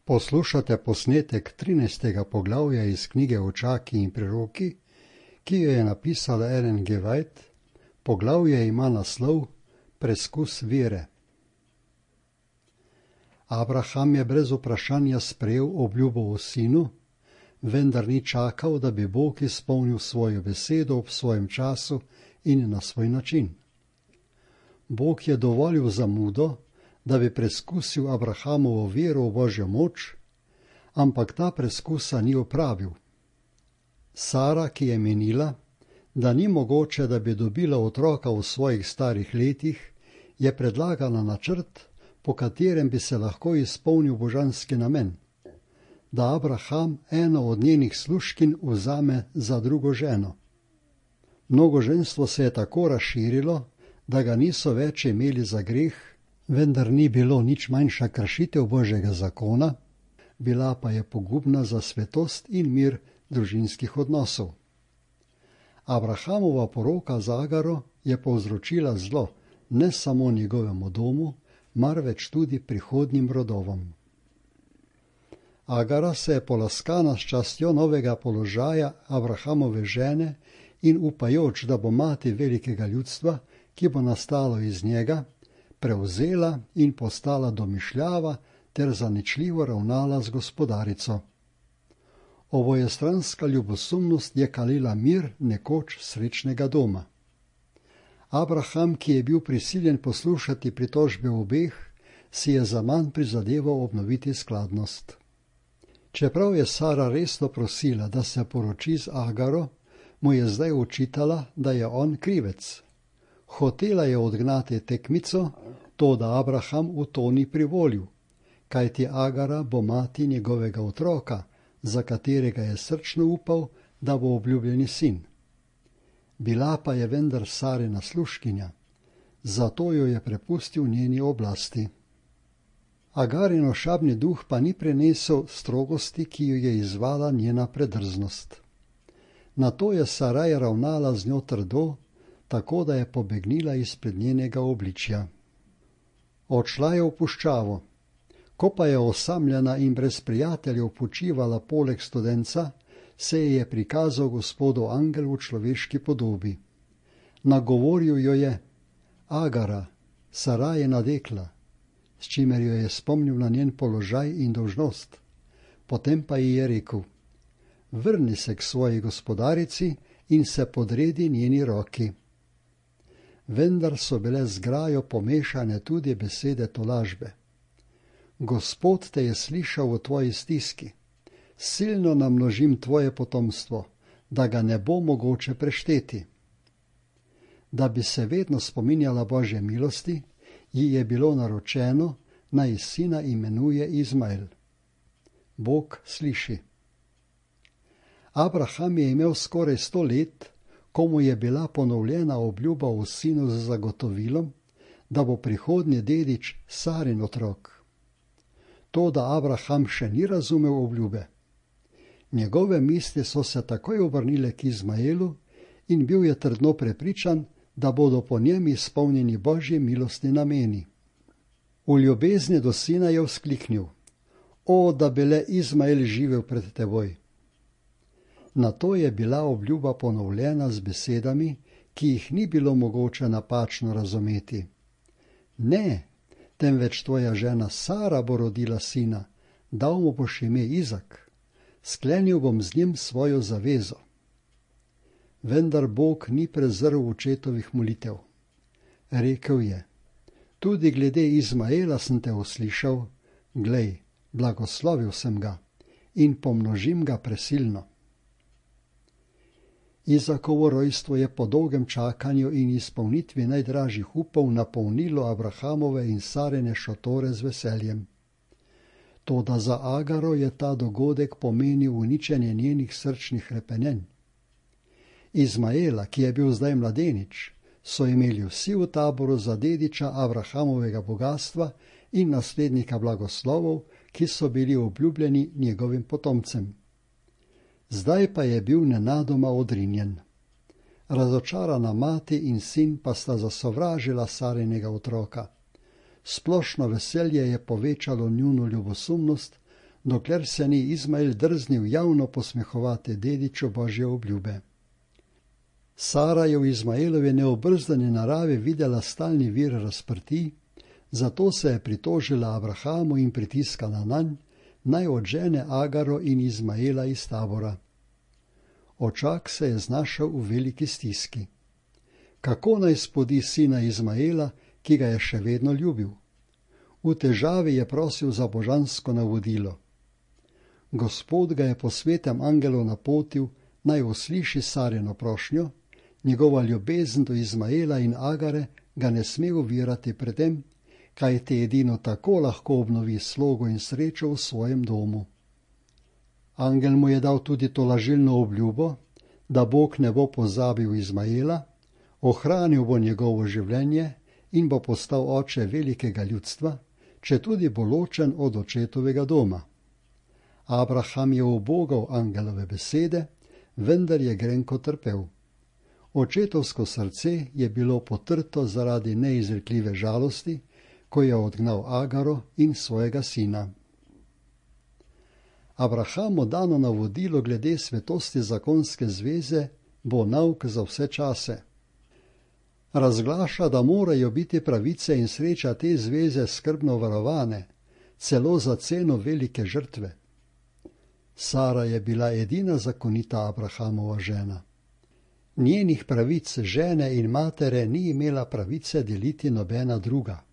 Poslušate posnetek 13. poglavja iz knjige Očaki in priroki, ki jo je napisala Ellen G. White. Poglavje ima naslov Preskus vere. Abraham je brez vprašanja sprejel obljubo o sinu, vendar ni čakal, da bi Bog izpolnil svojo besedo ob svojem času in na svoj način. Bog je dovolil zamudo, da bi preskusil Abrahamovo vero v Božjo moč, ampak ta preskusa ni opravil. Sara, ki je menila, da ni mogoče, da bi dobila otroka v svojih starih letih, je predlagala načrt, po katerem bi se lahko izpolnil božanski namen, da Abraham eno od njenih služkinj vzame za drugo ženo. Mnogoženstvo se je tako razširilo, da ga niso več imeli za greh, vendar ni bilo nič manjša kršitev Božjega zakona, bila pa je pogubna za svetost in mir družinskih odnosov. Abrahamova poroka z Agaro je povzročila zlo ne samo njegovemu domu, marveč tudi prihodnjim rodovom. Agara se je polaskana s častjo novega položaja Abrahamove žene in upajoč, da bo mati velikega ljudstva, ki bo nastalo iz njega, prevzela in postala domišljava ter zaničljivo ravnala z gospodarico. Obojestranska ljubosumnost je kalila mir nekoč srečnega doma. Abraham, ki je bil prisiljen poslušati pritožbe obeh, si je zaman prizadeval obnoviti skladnost. Čeprav je Sara resno prosila, da se poroči z Agaro, mu je zdaj očitala, da je on krivec. Hotela je odgnati tekmico, toda Abraham v to ni privolil, kajti Agara bo mati njegovega otroka, za katerega je srčno upal, da bo obljubljeni sin. Bila pa je vendar Sarina služkinja, zato jo je prepustil njeni oblasti. Agarin ošabni duh pa ni prenesel strogosti, ki jo je izvala njena predrznost. Nato je Saraj ravnala z njo trdo, tako da je pobegnila izpred njenega obličja. Odšla je v puščavo. Ko pa je osamljena in brez prijateljev počivala poleg studenca, se je prikazal Gospodov angel v človeški podobi. Nagovoril jo je: Agara, Sarajina dekla, s čimer jo je spomnil na njen položaj in dolžnost. Potem pa ji je rekel: vrni se k svoji gospodarici in se podredi njeni roki. Vendar so bile z grajo pomešane tudi besede tolažbe. Gospod te je slišal v tvoji stiski, silno namnožim tvoje potomstvo, da ga ne bo mogoče prešteti. Da bi se vedno spominjala Božje milosti, ji je bilo naročeno, naj sina imenuje Izmael. Bog sliši. Abraham je imel skoraj 100 let, ko mu je bila ponovljena obljuba o sinu z zagotovilom, da bo prihodnji dedič Sarin otrok. Toda Abraham še ni razumel obljube. Njegove misli so se takoj obrnile k Izmaelu in bil je trdno prepričan, da bodo po njem izpolnjeni Božji milostni nameni. V ljubezni do sina je vzkliknil: O, da bi le Izmael živel pred teboj! Nato je bila obljuba ponovljena z besedami, ki jih ni bilo mogoče napačno razumeti. Ne, temveč tvoja žena Sara bo rodila sina, dal mu boš ime Izak, sklenil bom z njim svojo zavezo. Vendar Bog ni prezrl očetovih molitev. Rekel je: tudi glede Izmaela sem te uslišal, glej, blagoslovil sem ga in pomnožim ga presilno. Izakovo rojstvo je po dolgem čakanju in izpolnitvi najdražjih upov napolnilo Abrahamove in Sarine šotore z veseljem. Toda za Agaro je ta dogodek pomenil uničenje njenih srčnih hrepenenj. Izmaela, ki je bil zdaj mladenič, so imeli vsi v taboru za dediča Abrahamovega bogatstva in naslednika blagoslovov, ki so bili obljubljeni njegovim potomcem. Zdaj pa je bil nenadoma odrinjen. Razočarana mati in sin pa sta zasovražila Sarinega otroka. Splošno veselje je povečalo njuno ljubosumnost, dokler se ni Izmael drznil javno posmehovati dediču Božje obljube. Sara je v Izmaelovi neobrzdani naravi videla stalni vir razprtij, zato se je pritožila Abrahamu in pritiskala nanj, naj odžene Agaro in Izmaela iz tabora. Očak se je znašel v veliki stiski. Kako naj spodi sina Izmaela, ki ga je še vedno ljubil? V težavi je prosil za božansko navodilo. Gospod ga je po svetem angelu napotil, naj usliši Sarino prošnjo, njegova ljubezen do Izmaela in Agare ga ne sme ovirati pred tem, kajti edino tako lahko obnovi slogo in srečo v svojem domu. Angel mu je dal tudi to lažilno obljubo, da Bog ne bo pozabil Izmaela, ohranil bo njegovo življenje in bo postal oče velikega ljudstva, četudi bo ločen od očetovega doma. Abraham je ubogal angelove besede, vendar je grenko trpel. Očetovsko srce je bilo potrto zaradi neizrekljive žalosti, ko je odgnal Agaro in svojega sina. Abrahamu dano navodilo glede svetosti zakonske zveze bo nauk za vse čase. Razglaša, da morajo biti pravice in sreča te zveze skrbno varovane, celo za ceno velike žrtve. Sara je bila edina zakonita Abrahamova žena. Njenih pravic žene in matere ni imela pravice deliti nobena druga.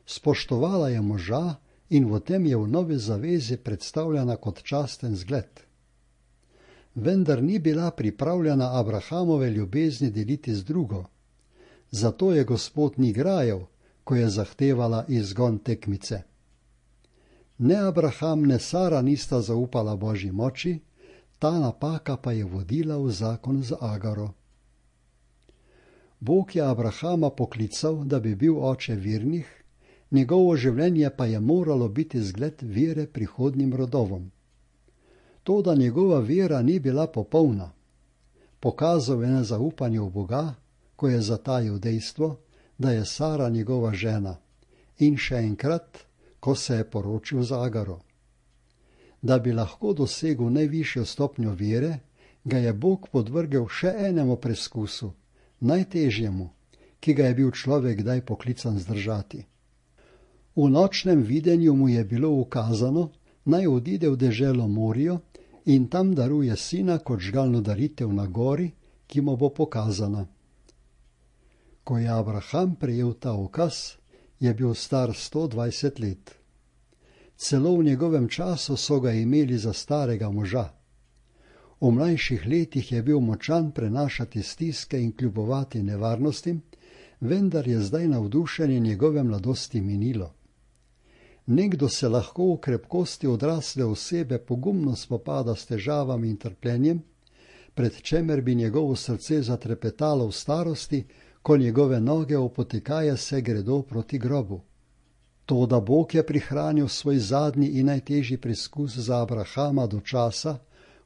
Spoštovala je moža in v tem je v novi zavezi predstavljena kot časten zgled. Vendar ni bila pripravljena Abrahamove ljubezni deliti z drugo. Zato je Gospod ni grajal, ko je zahtevala izgon tekmice. Ne Abraham, ne Sara nista zaupala Božji moči, ta napaka pa je vodila v zakon z Agaro. Bog je Abrahama poklical, da bi bil oče vernih, njegovo življenje pa je moralo biti zgled vere prihodnjim rodovom. To, da njegova vera ni bila popolna, pokazal je na zaupanje v Boga, ko je zatajil dejstvo, da je Sara njegova žena, in še enkrat, ko se je poročil z Agaro. Da bi lahko dosegel najvišjo stopnjo vere, ga je Bog podvrgel še enemu preskusu, najtežjemu, ki ga je bil človek kdaj poklican zdržati. V nočnem videnju mu je bilo ukazano, naj odide v deželo Morijo in tam daruje sina kot žgalno daritev na gori, ki mu bo pokazana. Ko je Abraham prejel ta ukaz, je bil star 120 let. Celo v njegovem času so ga imeli za starega moža. V mlajših letih je bil močan prenašati stiske in kljubovati nevarnostim, vendar je zdaj navdušenje njegove mladosti minilo. Nekdo se lahko v krepkosti odrasle osebe pogumno spopada s težavami in trpljenjem, pred čemer bi njegovo srce zatrepetalo v starosti, ko njegove noge opotekaje se gredo proti grobu. Toda Bog je prihranil svoj zadnji in najtežji preskus za Abrahama do časa,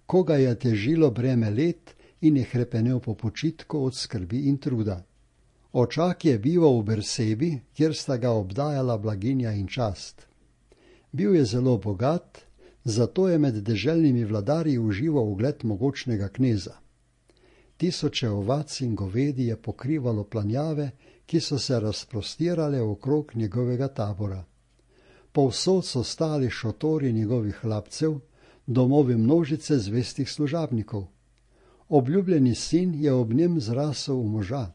ko ga je težilo breme let in je hrepenel po počitku od skrbi in truda. Očak je bival v Bersebi, kjer sta ga obdajala blaginja in čast. Bil je zelo bogat, zato je med deželnimi vladarji užival ugled mogočnega kneza. Tisoče ovac in govedi je pokrivalo planjave, ki so se razprostirale okrog njegovega tabora. Povsod so stali šotori njegovih hlapcev, domovi množice zvestih služabnikov. Obljubljeni sin je ob njem zrasel v moža.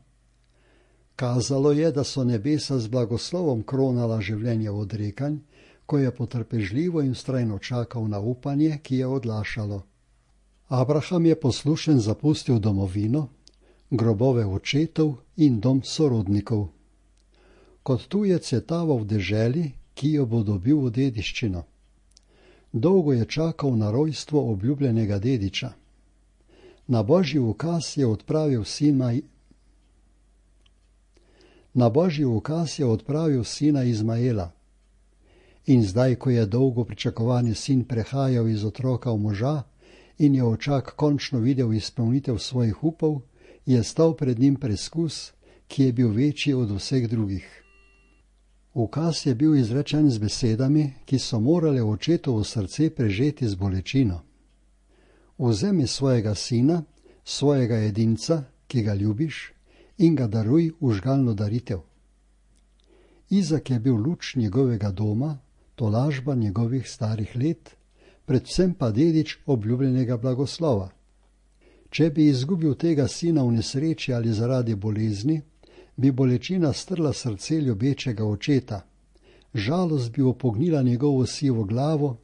Kazalo je, da so nebesa z blagoslovom kronala življenje odrekanj, ko je potrpežljivo in vztrajno čakal na upanje, ki je odlašalo. Abraham je poslušen zapustil domovino, grobove očetov in dom sorodnikov. Kot tujec je taval v deželi, ki jo bo dobil v dediščino. Dolgo je čakal na rojstvo obljubljenega dediča. Na Božji ukaz je odpravil sina Izmaela. In zdaj, ko je dolgo pričakovani sin prehajal iz otroka v moža in je očak končno videl izpolnitev svojih upov, je stal pred njim preskus, ki je bil večji od vseh drugih. Ukaz je bil izrečen z besedami, ki so morale očetovo srce prežeti z bolečino. Vzemi svojega sina, svojega edinca, ki ga ljubiš, in ga daruj v žgalno daritev. Izak je bil luč njegovega doma, tolažba njegovih starih let, predvsem pa dedič obljubljenega blagoslova. Če bi izgubil tega sina v nesreči ali zaradi bolezni, bi bolečina strla srce ljubečega očeta, žalost bi opognila njegovo sivo glavo,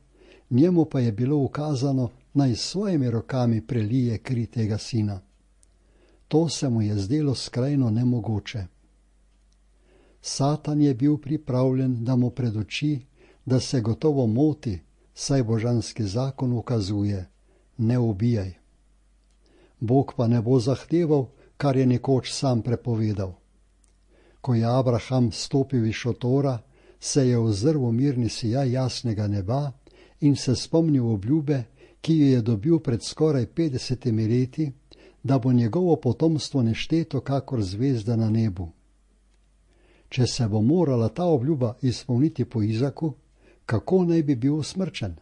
njemu pa je bilo ukazano, naj s svojimi rokami prelije kri tega sina. To se mu je zdelo skrajno nemogoče. Satan je bil pripravljen, da mu predoči, da se gotovo moti, saj božanski zakon ukazuje: ne ubijaj. Bog pa ne bo zahteval, kar je nekoč sam prepovedal. Ko je Abraham stopil iz šotora, se je ozrl v mirni sijaj jasnega neba in se spomnil obljube, ki jo je dobil pred skoraj 50 leti, da bo njegovo potomstvo nešteto kakor zvezda na nebu. Če se bo morala ta obljuba izpolniti po Izaku, kako naj bi bil usmrčen?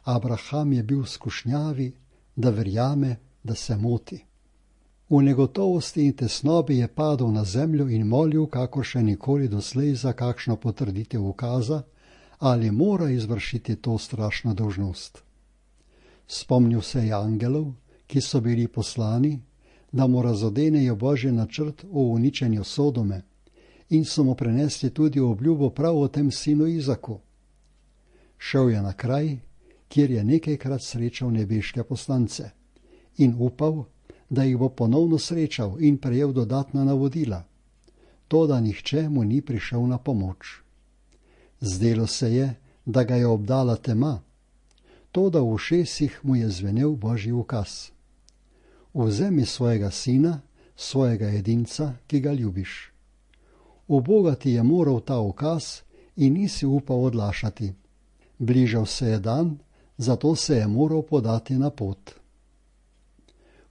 Abraham je bil v skušnjavi, da verjame, da se moti. V negotovosti in tesnobi je padel na zemljo in molil, kakor še nikoli doslej, za kakšno potrditev ukaza, ali mora izvršiti to strašno dolžnost. Spomnil se je angelov, ki so bili poslani, da mu razodenejo Božji načrt o uničenju Sodome, in so mu prenesli tudi obljubo prav o tem sinu Izaku. Šel je na kraj, kjer je nekajkrat srečal nebeške poslance, in upal, da jih bo ponovno srečal in prejel dodatna navodila. Toda nihče mu ni prišel na pomoč. Zdelo se je, da ga je obdala tema, toda v ušesih mu je zvenel Božji ukaz: vzemi svojega sina, svojega edinca, ki ga ljubiš. Ubogati je moral ta ukaz in nisi upal odlašati. Bližal se je dan, zato se je moral podati na pot.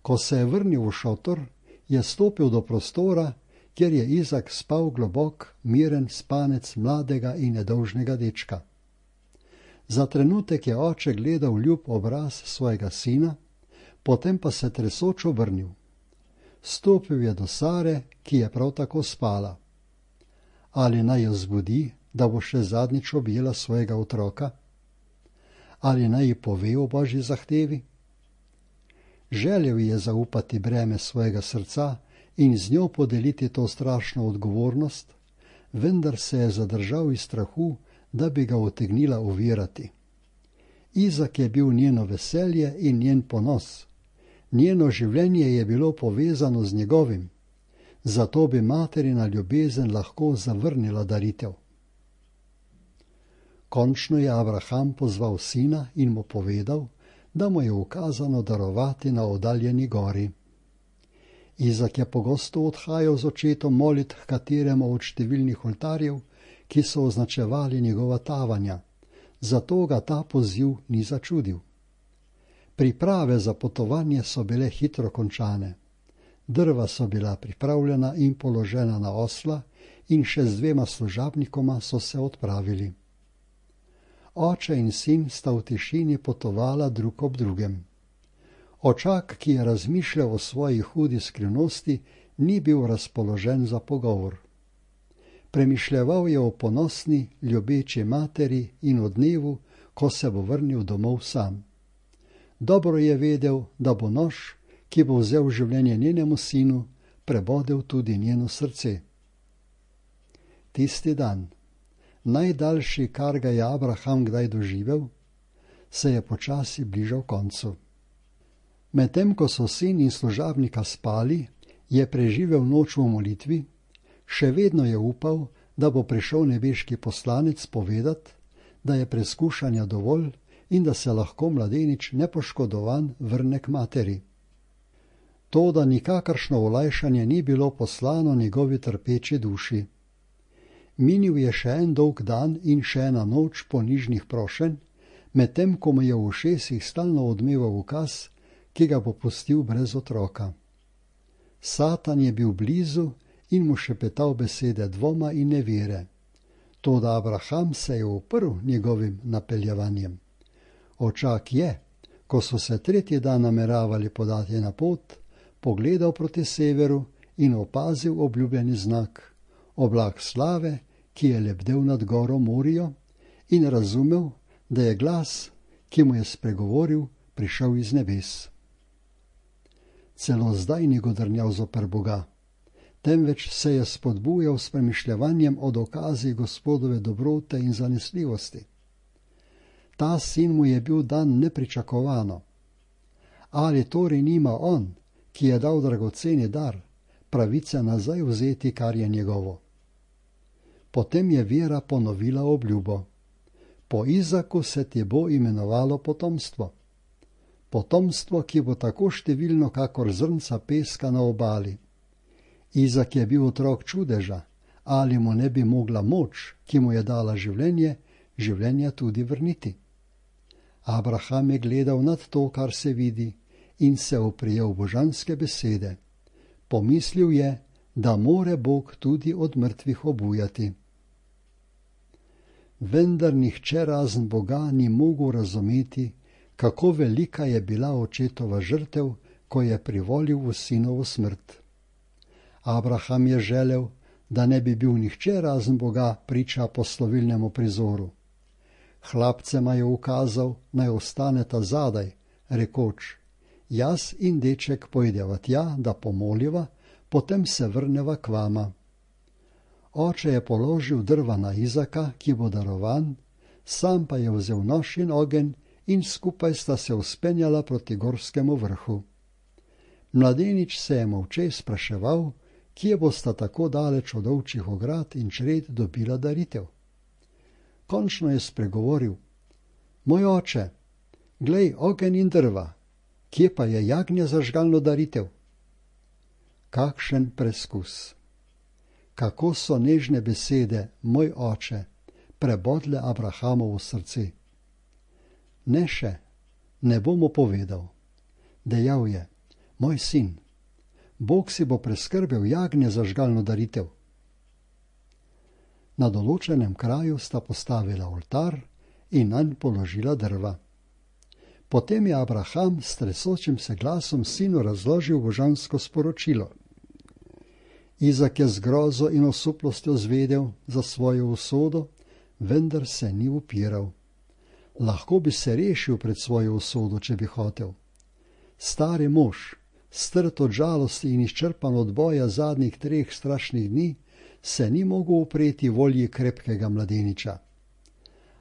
Ko se je vrnil v šotor, je stopil do prostora, kjer je Izak spal globok, miren spanec mladega in nedolžnega dečka. Za trenutek je oče gledal ljub obraz svojega sina, potem pa se tresoč obrnil. Stopil je do Sare, ki je prav tako spala. Ali naj jo zbudi, da bo še zadnjič objela svojega otroka? Ali naj ji pove o Božji zahtevi? Želel je zaupati breme svojega srca in z njo podeliti to strašno odgovornost, vendar se je zadržal iz strahu, da bi ga utegnila ovirati. Izak je bil njeno veselje in njen ponos. Njeno življenje je bilo povezano z njegovim, zato bi materina ljubezen lahko zavrnila daritev. Končno je Abraham pozval sina in mu povedal, da mu je ukazano darovati na oddaljeni gori. Izak je pogosto odhajal z očetom molit h kateremu od številnih oltarjev, ki so označevali njegova tavanja, zato ga ta poziv ni začudil. Priprave za potovanje so bile hitro končane. Drva so bila pripravljena in položena na osla in še z 2 služabnikoma so se odpravili. Oče in sin sta v tišini potovala drug ob drugem. Očak, ki je razmišljal o svoji hudi skrivnosti, ni bil razpoložen za pogovor. Premišljeval je o ponosni, ljubeči materi in o dnevu, ko se bo vrnil domov sam. Dobro je vedel, da bo nož, ki bo vzel življenje njenemu sinu, prebodel tudi njeno srce. Tisti dan, najdaljši, kar ga je Abraham kdaj doživel, se je počasi bližal koncu. Medtem ko so sin in služabnika spali, je preživel noč v molitvi, še vedno je upal, da bo prišel nebeški poslanec povedat, da je preskušanja dovolj in da se lahko mladenič nepoškodovan vrne k materi. Toda nikakršno olajšanje ni bilo poslano njegovi trpeči duši. Minil je še en dolg dan in še ena noč ponižnih prošenj, medtem ko mu je v ušesih stalno odmeval ukaz, ki ga bo pustil brez otroka. Satan je bil blizu in mu šepetal besede dvoma in nevere. Toda Abraham se je uprl njegovim napeljevanjem. Očak je, ko so se tretji dan nameravali podati na pot, pogledal proti severu in opazil obljubljeni znak, oblak slave, ki je lebdel nad goro Morijo, in razumel, da je glas, ki mu je spregovoril, prišel iz nebes. Celo zdaj ni godrnjal zoper Boga, temveč se je spodbujal s premišljevanjem o dokazih Gospodove dobrote in zanesljivosti. Ta sin mu je bil dan nepričakovano. Ali torej nima on, ki je dal dragoceni dar, pravice nazaj vzeti, kar je njegovo? Potem je vera ponovila obljubo. Po Izaku se ti bo imenovalo potomstvo. Potomstvo, ki bo tako številno, kakor zrnca peska na obali. Izak je bil otrok čudeža, ali mu ne bi mogla moč, ki mu je dala življenje tudi vrniti. Abraham je gledal nad to, kar se vidi, in se oprijel božanske besede. Pomislil je, da more Bog tudi od mrtvih obujati. Vendar nihče razen Boga ni mogel razumeti, kako velika je bila očetova žrtev, ko je privolil v sinovo smrt. Abraham je želel, da ne bi bil nihče razen Boga priča poslovilnemu prizoru. Hlapcema je ukazal, naj ostaneta zadaj, rekoč: jaz in deček pojdeva tja, da pomoliva, potem se vrneva k vama. Oče je položil drva na Izaka, ki bo darovan, sam pa je vzel nož in ogenj in skupaj sta se vzpenjala proti gorskemu vrhu. Mladenič se je molče spraševal, kje bosta tako daleč od ovčjih ograd in čred dobila daritev. Končno je spregovoril: moj oče, glej ogenj in drva, kje pa je jagnje za žgalno daritev? Kakšen preskus! Kako so nežne besede, moj oče, prebodle Abrahamovo srce. Ne še, ne bom mu povedal. Dejal je: moj sin, Bog si bo preskrbel jagnje za žgalno daritev. Na določenem kraju sta postavila oltar in nanj položila drva. Potem je Abraham s tresočim se glasom sinu razložil božansko sporočilo. Izak je z grozo in osuplostjo zvedel za svojo usodo, vendar se ni upiral. Lahko bi se rešil pred svojo usodo, če bi hotel. Stari mož, strt od žalosti in izčrpan od boja zadnjih 3 strašnih dni, se ni mogel upreti volji krepkega mladeniča.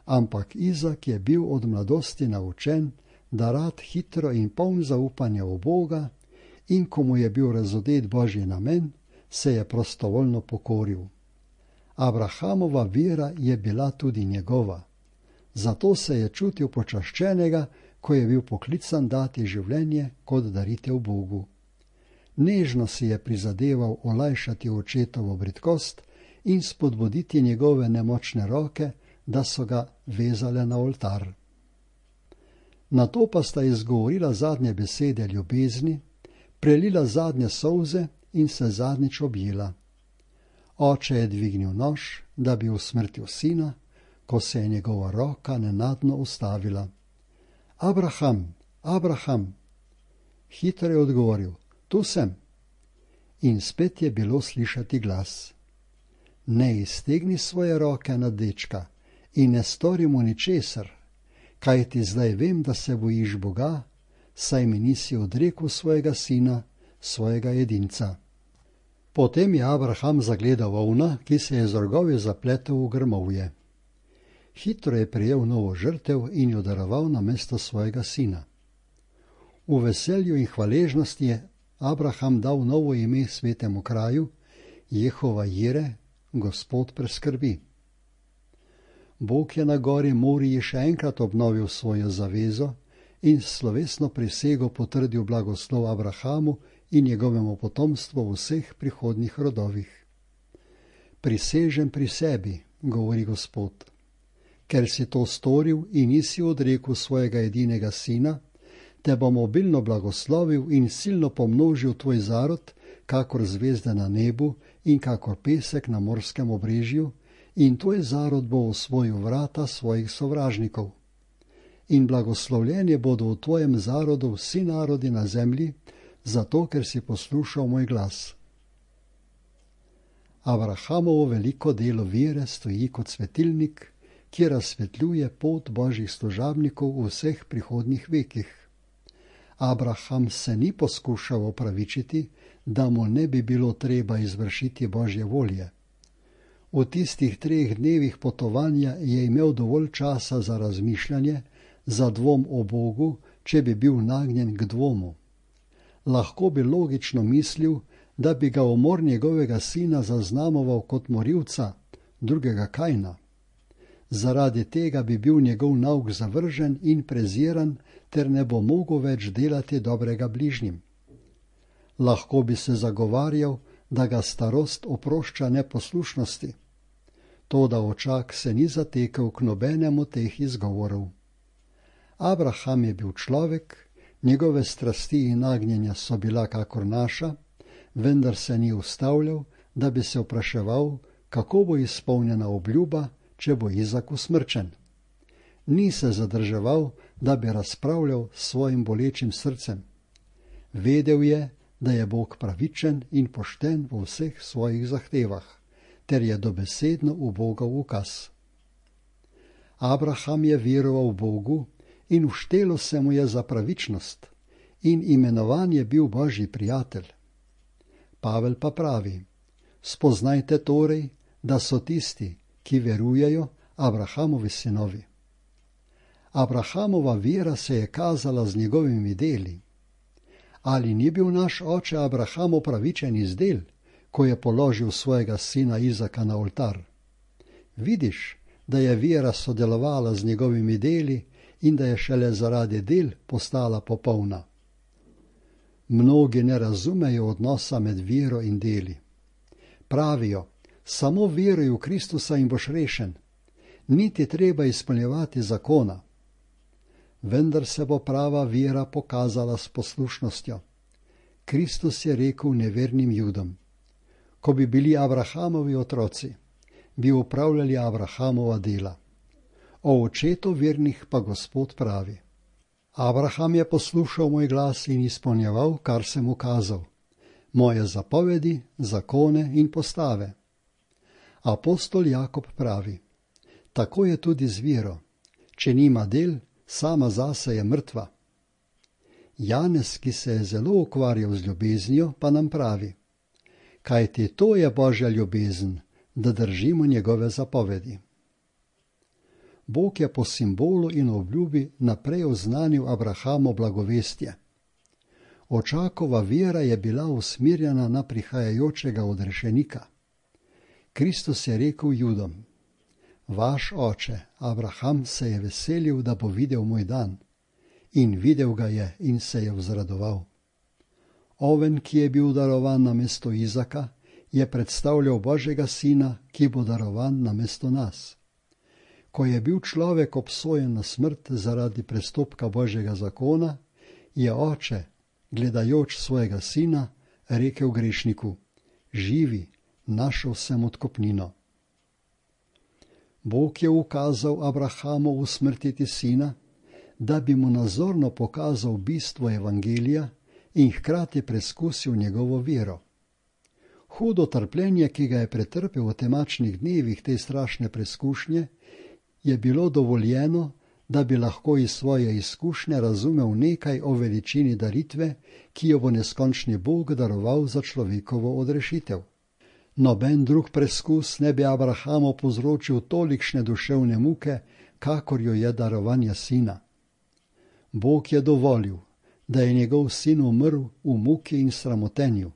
Ampak Izak je bil od mladosti naučen, da rad hitro in poln zaupanja v Boga, in ko mu je bil razodet Božji namen, se je prostovoljno pokoril. Abrahamova vera je bila tudi njegova. Zato se je čutil počaščenega, ko je bil poklican dati življenje kot daritev Bogu. Nežno si je prizadeval olajšati očetovo bridkost in spodbuditi njegove nemočne roke, da so ga vezale na oltar. Nato pa sta izgovorila zadnje besede ljubezni, prelila zadnje solze in se zadnjič objela. Oče je dvignil nož, da bi usmrtil sina, ko se je njegova roka nenadno ustavila. Abraham, Abraham! Hitro je odgovoril: tu sem. In spet je bilo slišati glas: ne iztegni svoje roke nad dečka in ne stori mu ničesar, kajti zdaj vem, da se bojiš Boga, saj mi nisi odrekel svojega sina, svojega edinca. Potem je Abraham zagledal ovna, ki se je z rogovi zapletel v grmovje. Hitro je prijel novo žrtev in jo daroval na mesto svojega sina. V veselju in hvaležnosti je Abraham dal novo ime svetemu kraju, Jehova Jire, Gospod preskrbi. Bog je na gori Moriji še enkrat obnovil svojo zavezo in slovesno prisego potrdil blagoslov Abrahamu in njegovemu potomstvu v vseh prihodnjih rodovih. Prisežem pri sebi, govori Gospod, ker si to storil in nisi odrekel svojega edinega sina, te bom obilno blagoslovil in silno pomnožil tvoj zarod, kakor zvezde na nebu in kakor pesek na morskem obrežju, in tvoj zarod bo osvojil vrata svojih sovražnikov. In blagoslovljeni bodo v tvojem zarodu vsi narodi na zemlji, zato ker si poslušal moj glas. Abrahamovo veliko delo vere stoji kot svetilnik, ki razsvetljuje pot božjih služabnikov v vseh prihodnjih vekih. Abraham se ni poskušal opravičiti, da mu ne bi bilo treba izvršiti božje volje. V tistih 3 dnevih potovanja je imel dovolj časa za razmišljanje, za dvom o Bogu, če bi bil nagnjen k dvomu. Lahko bi logično mislil, da bi ga umor njegovega sina zaznamoval kot morilca, drugega Kajna. Zaradi tega bi bil njegov nauk zavržen in preziran, ter ne bo mogel več delati dobrega bližnjim. Lahko bi se zagovarjal, da ga starost oprošča neposlušnosti. Toda očak se ni zatekel k nobenemu teh izgovorov. Abraham je bil človek, njegove strasti in nagnjenja so bila kakor naša, vendar se ni ustavljal, da bi se vpraševal, kako bo izpolnjena obljuba, če bo Izak usmrčen. Ni se zadrževal, da bi razpravljal s svojim bolečim srcem. Vedel je, da je Bog pravičen in pošten v vseh svojih zahtevah, ter je dobesedno v Bogov ukaz. Abraham je veroval Bogu in vštelo se mu je za pravičnost in imenovan je bil Božji prijatelj. Pavel pa pravi: spoznajte torej, da so tisti, ki verujejo, Abrahamovi sinovi. Abrahamova vera se je kazala z njegovimi deli. Ali ni bil naš oče Abraham upravičen iz del, ko je položil svojega sina Izaka na oltar? Vidiš, da je vera sodelovala z njegovimi deli in da je šele zaradi del postala popolna. Mnogi ne razumejo odnosa med vero in deli. Pravijo: samo veruj v Kristusa in boš rešen, niti treba izpolnjevati zakona. Vendar se bo prava vera pokazala s poslušnostjo. Kristus je rekel nevernim Judom: ko bi bili Abrahamovi otroci, bi upravljali Abrahamova dela. O očetu vernih pa Gospod pravi: Abraham je poslušal moj glas in izpolnjeval, kar sem mu kazal, moje zapovedi, zakone in postave. Apostol Jakob pravi: tako je tudi z vero, če nima del, sama zase je mrtva. Janez, ki se je zelo ukvarjal z ljubeznijo, pa nam pravi: kajti to je Božja ljubezen, da držimo njegove zapovedi. Bog je po simbolu in obljubi naprej oznanil Abrahamu blagovestje. Očakova vera je bila usmerjena na prihajajočega odrešenika. Kristus je rekel Judom: vaš oče Abraham se je veselil, da bo videl moj dan, in videl ga je in se je vzradoval. Oven, ki je bil darovan namesto Izaka, je predstavljal Božjega sina, ki bo darovan namesto nas. Ko je bil človek obsojen na smrt zaradi prestopka Božjega zakona, je oče, gledajoč svojega sina, rekel grešniku: živi, našel sem odkupnino. Bog je ukazal Abrahamu usmrtiti sina, da bi mu nazorno pokazal bistvo evangelija in hkrati preskusil njegovo vero. Hudo trpljenje, ki ga je pretrpel v temačnih dnevih te strašne preskušnje, je bilo dovoljeno, da bi lahko iz svoje izkušnje razumel nekaj o veličini daritve, ki jo bo neskončni Bog daroval za človekovo odrešitev. Noben drug preskus ne bi Abrahamu povzročil tolikšne duševne muke, kakor jo je darovanje sina. Bog je dovolil, da je njegov sin umrl v muki in sramotenju.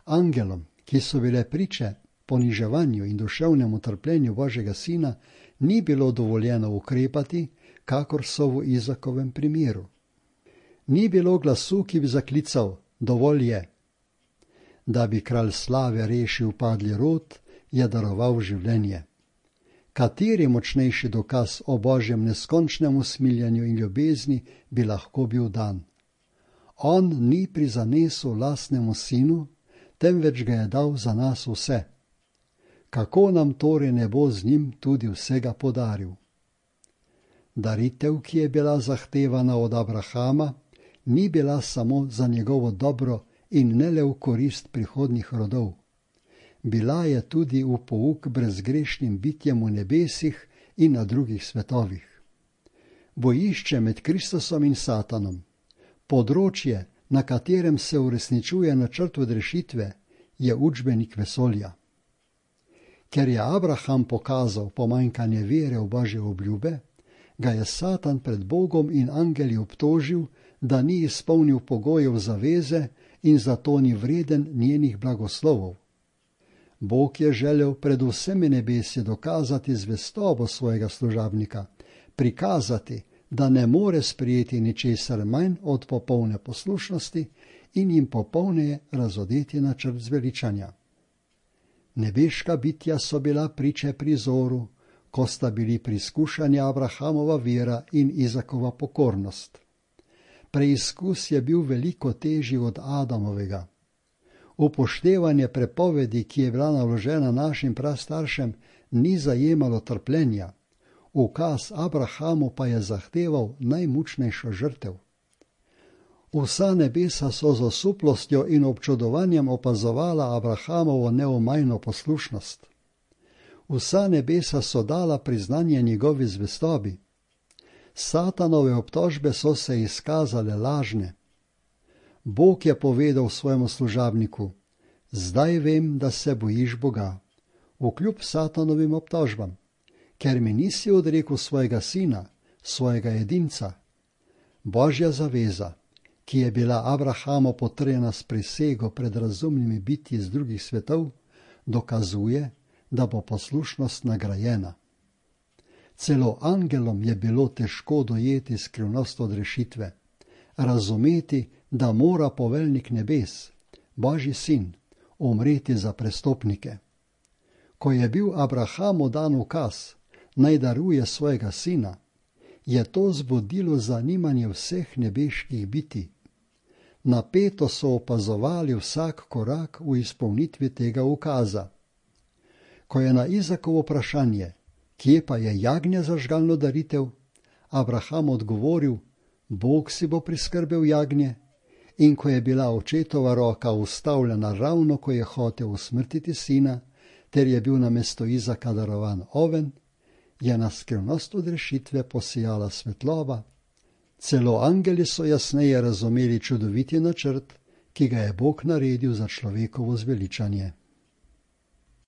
Angelom, ki so bile priče poniževanju in duševnemu trpljenju Božjega sina, ni bilo dovoljeno ukrepati, kakor so v Izakovem primeru. Ni bilo glasu, ki bi zaklical: dovolj je. Da bi kralj slave rešil padli rod, je daroval življenje. Kateri močnejši dokaz o Božjem neskončnem usmiljanju in ljubezni bi lahko bil dan? On ni prizanesel lastnemu sinu, temveč ga je dal za nas vse. Kako nam torej ne bo z njim tudi vsega podaril? Daritev, ki je bila zahtevana od Abrahama, ni bila samo za njegovo dobro in ne le v korist prihodnjih rodov. Bila je tudi v pouk brezgrešnim bitjem v nebesih in na drugih svetovih. Bojišče med Kristusom in Satanom, področje, na katerem se uresničuje načrt odrešitve, je učbenik vesolja. Ker je Abraham pokazal pomanjkanje vere v Božje obljube, ga je Satan pred Bogom in angeli obtožil, da ni izpolnil pogojev zaveze in zato ni vreden njenih blagoslovov. Bog je želel pred vsemi nebesi dokazati zvestobo svojega služabnika, prikazati, da ne more sprijeti ničesar manj od popolne poslušnosti in jim popolneje razodeti načrt zveličanja. Nebeška bitja so bila priče prizoru, ko sta bili preizkušani Abrahamova vera in Izakova pokornost. Preizkus je bil veliko težji od Adamovega. Upoštevanje prepovedi, ki je bila naložena našim prastaršem, ni zajemalo trpljenja. Ukaz Abrahamu pa je zahteval najmučnejšo žrtev. Vsa nebesa so z osuplostjo in občudovanjem opazovala Abrahamovo neomajno poslušnost. Vsa nebesa so dala priznanje njegovi zvestobi. Satanove obtožbe so se izkazale lažne. Bog je povedal svojemu služabniku: zdaj vem, da se bojiš Boga, vkljub Satanovim obtožbam, ker mi nisi odrekel svojega sina, svojega edinca. Božja zaveza, ki je bila Abrahamu potrjena s prisego pred razumnimi bitji z drugih svetov, dokazuje, da bo poslušnost nagrajena. Celo angelom je bilo težko dojeti skrivnost odrešitve, razumeti, da mora poveljnik nebes, Božji sin, umreti za prestopnike. Ko je bil Abrahamu dan ukaz, naj daruje svojega sina, je to zbudilo zanimanje vseh nebeških bitij. Napeto so opazovali vsak korak v izpolnitvi tega ukaza. Ko je na Izakovo vprašanje, kje pa je jagnje za žgalno daritev, Abraham odgovoril: Bog si bo priskrbel jagnje, in ko je bila očetova roka ustavljena ravno, ko je hotel usmrtiti sina, ter je bil namesto Izaka darovan oven, je na skrivnost odrešitve posijala svetloba. Celo angeli so jasneje razumeli čudoviti načrt, ki ga je Bog naredil za človekovo zveličanje.